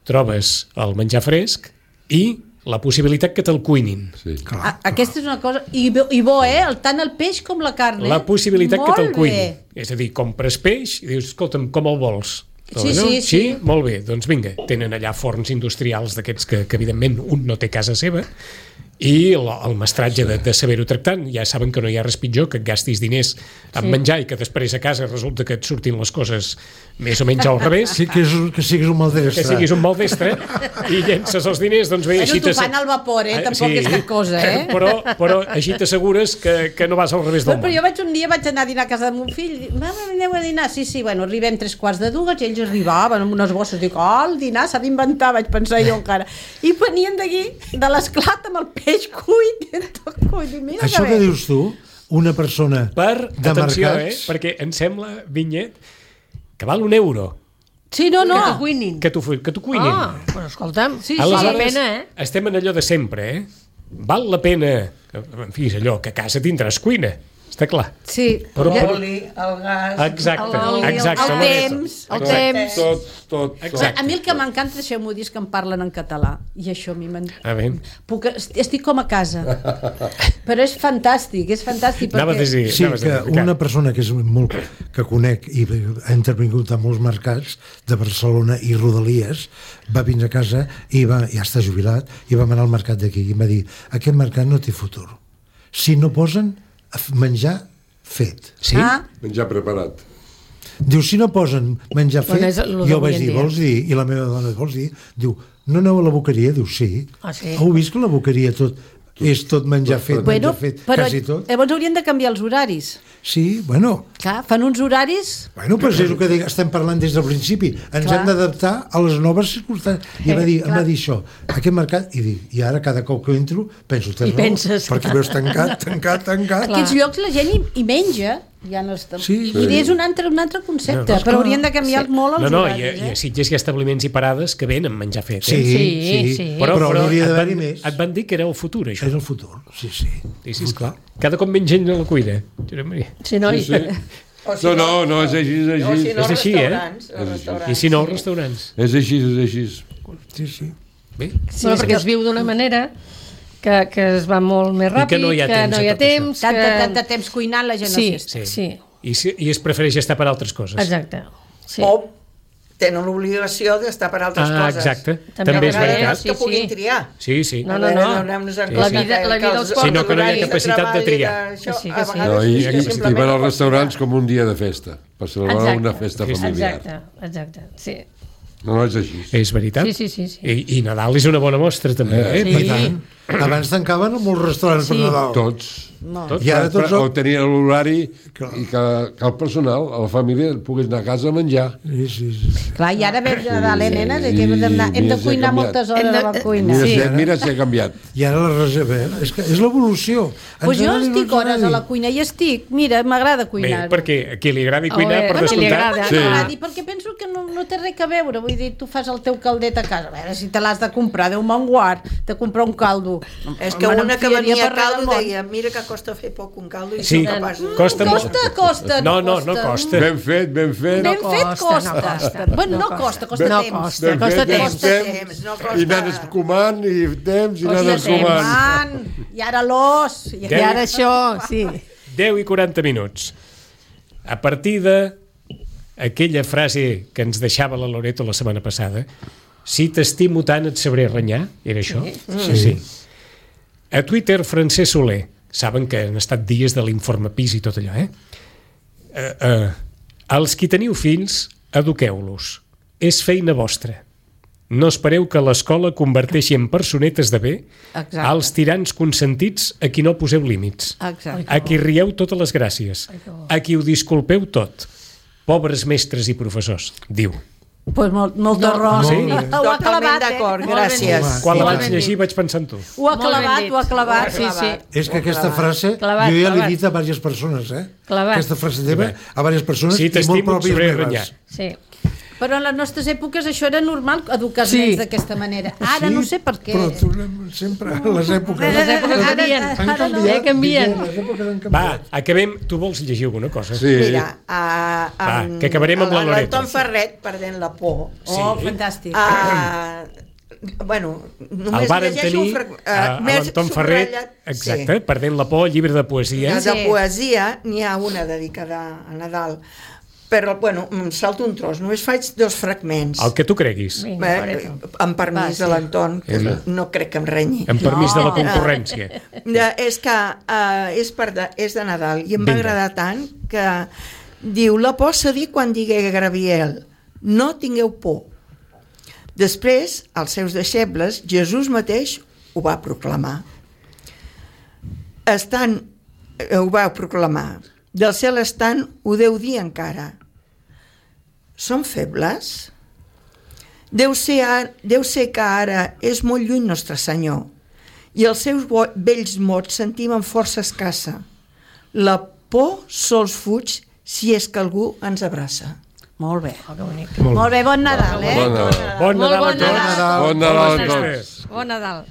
Speaker 2: trobes el menjar fresc i la possibilitat que te'l cuinin.
Speaker 5: Sí.
Speaker 4: Aquesta és una cosa... I bo, tant el peix com la carn,
Speaker 2: La possibilitat que te'l
Speaker 4: Molt
Speaker 2: cuinin.
Speaker 4: bé.
Speaker 2: És a dir, compres peix i dius, escolta'm, com el vols?
Speaker 4: Sí,
Speaker 2: No?
Speaker 4: sí, sí.
Speaker 2: Molt bé, doncs vinga. Tenen allà forns industrials d'aquests que evidentment un no té casa seva i el mestratge de saber-ho tractar. Ja saben que no hi ha res pitjor que et gastis diners en menjar i que després a casa resulta que et surtin les coses més o menys al revés.
Speaker 6: Sí, que siguis un maldestre.
Speaker 2: Que siguis un maldestre i llences els diners, doncs bé,
Speaker 4: Bueno,
Speaker 2: així
Speaker 4: t'ho fan al vapor, tampoc és cap cosa,
Speaker 2: Però així t'assegures que no vas al revés del
Speaker 4: Però
Speaker 2: món.
Speaker 4: jo un dia vaig anar a dinar a casa del meu fill i mama, aneu a dinar? Sí, bueno, arribem 3:45 i ells arribaven amb unes bosses. Dic, el dinar s'ha d'inventar, vaig pensar jo encara. I venien d'aquí, de l'esclat amb el peix cuit. Mira
Speaker 6: Això que dius tu, una persona de
Speaker 2: Atenció,
Speaker 6: mercats...
Speaker 2: perquè em sembla, Vinyet, que val €1
Speaker 4: Sí, no.
Speaker 3: Que t'ho cuinin.
Speaker 2: que t'ho cuinin.
Speaker 3: Ah, però escolta'm,
Speaker 4: Sí,
Speaker 3: val la
Speaker 2: Aleshores,
Speaker 3: pena,
Speaker 2: estem en allò de sempre, Val la pena, en fi, és allò, que a casa tindràs cuina, està clar.
Speaker 4: Sí.
Speaker 7: L'oli, el gas...
Speaker 2: Exacte,
Speaker 3: El
Speaker 2: exacte.
Speaker 4: el
Speaker 2: Loreto.
Speaker 4: temps,
Speaker 3: el temps.
Speaker 5: Tot.
Speaker 2: Exacte.
Speaker 4: A mi el que m'encanta, deixeu-m'ho dir, és que em parlen en català. I això a mi
Speaker 2: A veure.
Speaker 4: estic com a casa. Però és fantàstic,
Speaker 2: Anaves a dir,
Speaker 6: Sí,
Speaker 2: anaves a dir,
Speaker 6: que
Speaker 2: Ricard.
Speaker 6: una persona que és molt que conec i ha intervingut a molts mercats de Barcelona i Rodalies va vindre a casa i ja està jubilat i vam anar al mercat d'aquí i em va dir, aquest mercat no té futur si no posen menjar fet.
Speaker 2: Sí?
Speaker 5: Menjar preparat.
Speaker 6: Diu, si no posen menjar fet,
Speaker 3: Bueno, és lo
Speaker 6: jo
Speaker 3: d'avui
Speaker 6: vaig
Speaker 3: en
Speaker 6: dir,
Speaker 3: dia.
Speaker 6: vols dir? I la meva dona, vols dir? Diu, no aneu a la boqueria? Diu, sí.
Speaker 3: Ah, sí?
Speaker 6: Heu vist que la boqueria és tot menjar fet,
Speaker 4: Bueno,
Speaker 6: menjar fet,
Speaker 4: però
Speaker 6: quasi tot?
Speaker 4: llavors haurien de canviar els horaris.
Speaker 6: Sí, bueno,
Speaker 4: Clar, fan uns horaris...
Speaker 6: Bueno, però és el que estem parlant des del principi. Ens
Speaker 4: Clar.
Speaker 6: hem d'adaptar a les noves circumstàncies. I em va dir això, aquest mercat, i ara cada cop que entro penso,
Speaker 3: I penses,
Speaker 6: perquè veus tancat.
Speaker 4: Aquests llocs la gent hi menja, ja no està...
Speaker 6: Sí.
Speaker 4: I és un altre concepte, però haurien de canviar molt els
Speaker 2: No,
Speaker 4: horaris.
Speaker 2: i a Sitges hi ha establiments i parades que venen menjar fet.
Speaker 6: Sí,
Speaker 3: Sí.
Speaker 6: però n'hauria
Speaker 2: et
Speaker 6: d'haver-hi
Speaker 2: van-
Speaker 6: més.
Speaker 2: Et van dir que era el futur, això.
Speaker 6: És el futur, sí.
Speaker 2: Sí, esclar. Cada cop menys gent a la cuina. Josep Maria.
Speaker 3: Sí, no?
Speaker 7: O si
Speaker 5: No, és així, és
Speaker 7: O si
Speaker 5: així.
Speaker 7: no,
Speaker 2: És així,
Speaker 7: restaurants.
Speaker 2: I si no, els restaurants.
Speaker 5: És així.
Speaker 6: Sí.
Speaker 2: Bé,
Speaker 3: Bueno, perquè es viu d'una manera que es va molt més ràpid,
Speaker 2: que no hi ha temps a tot
Speaker 3: temps,
Speaker 4: Tant de temps cuinant la gent
Speaker 3: Sí,
Speaker 4: no s'hi
Speaker 3: sí,
Speaker 2: I es prefereix estar per altres coses.
Speaker 3: exacte. Sí.
Speaker 7: O tenen l'obligació d'estar per altres coses.
Speaker 2: Exacte.
Speaker 3: També
Speaker 2: També és
Speaker 3: a vegades
Speaker 2: veritat.
Speaker 3: sí,
Speaker 7: Que puguin
Speaker 3: sí.
Speaker 7: triar.
Speaker 2: Sí.
Speaker 3: No. La vida els porta
Speaker 2: Sinó que no hi ha
Speaker 3: l'horari de
Speaker 2: capacitat de triar.
Speaker 3: Sí, que sí.
Speaker 5: No, i van als restaurants com un dia de festa, per celebrar
Speaker 3: Exacte.
Speaker 5: una festa familiar.
Speaker 3: Exacte, sí.
Speaker 5: No, és així.
Speaker 2: És veritat.
Speaker 3: Sí.
Speaker 2: I Nadal és una bona mostra, també.
Speaker 3: Sí.
Speaker 6: Per tant, Abans tancaven molts restaurants per Nadal.
Speaker 5: Tots.
Speaker 6: I ara tots...
Speaker 5: O tenien l'horari i que el personal, la família, pogués anar a casa a menjar.
Speaker 6: Sí.
Speaker 4: Clar, i ara ve Nadal, nenes, hem de cuinar moltes hores a la cuina.
Speaker 5: Mira si ha canviat.
Speaker 6: I ara la reserva, és l'evolució.
Speaker 4: Doncs jo estic hores a la cuina i estic, mira, m'agrada cuinar.
Speaker 2: Bé, perquè a qui li agradi cuinar, per
Speaker 3: a qui li
Speaker 2: descomptat...
Speaker 3: agrada.
Speaker 4: Perquè penso que no té res a veure, vull dir, tu fas el teu caldet a casa, a veure si te l'has de comprar, Déu me'n guard, de comprar un caldo.
Speaker 7: És que una que venia a caldo deia, mira que costa fer poc un caldo i
Speaker 2: Sí,
Speaker 7: som capaços.
Speaker 4: Costa.
Speaker 2: No costa.
Speaker 5: Ben fet.
Speaker 4: Ben fet costa. Bueno, no costa temps.
Speaker 3: Costa temps.
Speaker 5: I nanes comant, i temps, i nanes comant.
Speaker 4: I ara l'os.
Speaker 3: I ara això, sí.
Speaker 2: 10 i 40 minuts. A partir de aquella frase que ens deixava la Loreto la setmana passada, si t'estimo tant et sabré renyar, era això? Sí. A Twitter, Francesc Soler, saben que han estat dies de l'informe PIS i tot allò, els qui teniu fills, eduqueu-los. És feina vostra. No espereu que l'escola converteixi en personetes de bé als tirans consentits a qui no poseu límits. A qui rieu totes les gràcies. A qui ho disculpeu tot. Pobres mestres i professors, diu.
Speaker 4: Pues molt d'arròs. Ho ha clavat,
Speaker 7: d'acord, gràcies.
Speaker 2: Quan la vaig llegir vaig pensar en tu.
Speaker 4: Ho ha clavat.
Speaker 3: Sí.
Speaker 6: És que aquesta frase
Speaker 3: Clavat,
Speaker 6: jo ja l'he
Speaker 3: clavat.
Speaker 6: dit a diverses persones,
Speaker 3: Clavat.
Speaker 6: Aquesta frase teva a diverses persones
Speaker 2: Si
Speaker 6: i molt
Speaker 2: t'estimo et
Speaker 6: pròpies
Speaker 2: sabré
Speaker 6: meves.
Speaker 2: renyar.
Speaker 3: Sí.
Speaker 4: Però en les nostres èpoques això era normal, educar els
Speaker 3: Sí.
Speaker 4: nens d'aquesta manera. Ara no sé per què.
Speaker 6: Però tornem sempre a les èpoques.
Speaker 3: Les èpoques canvien.
Speaker 6: Han canviat.
Speaker 3: Canvien.
Speaker 6: Les èpoques han
Speaker 2: Va,
Speaker 6: canviat.
Speaker 2: acabem. Tu vols llegir alguna cosa?
Speaker 5: Sí.
Speaker 7: Mira,
Speaker 2: que acabarem amb la Loreto.
Speaker 7: l'Anton Ferret, perdent la por.
Speaker 4: Oh, fantàstic.
Speaker 7: Bueno,
Speaker 2: El
Speaker 7: només
Speaker 2: varen
Speaker 7: llegeixo
Speaker 2: tenir a l'Anton Ferret, exacte, perdent la por, llibre de poesia.
Speaker 7: De poesia n'hi ha una dedicada a Nadal, però, bueno, em salto un tros, només faig 2 fragments.
Speaker 2: El que tu creguis.
Speaker 7: Amb permís de l'Anton, que no crec que em renyi.
Speaker 2: Amb permís de la concurrència.
Speaker 7: És que és de Nadal i em va agradar tant que diu, la por cedir quan digué Gabriel, no tingueu por. Després, als seus deixebles, Jesús mateix ho va proclamar. Ho va proclamar. Del cel estant, ho deu dir encara. Som febles? Deu ser que ara és molt lluny Nostre Senyor i els seus vells mots sentim amb força escassa. La por sols fuig si és que algú ens abraça.
Speaker 4: Molt bé. Molt bé, bon Nadal,
Speaker 5: Bon Nadal.
Speaker 2: Bon Nadal a tots.
Speaker 5: Bon Nadal a tots.
Speaker 3: Bon Nadal.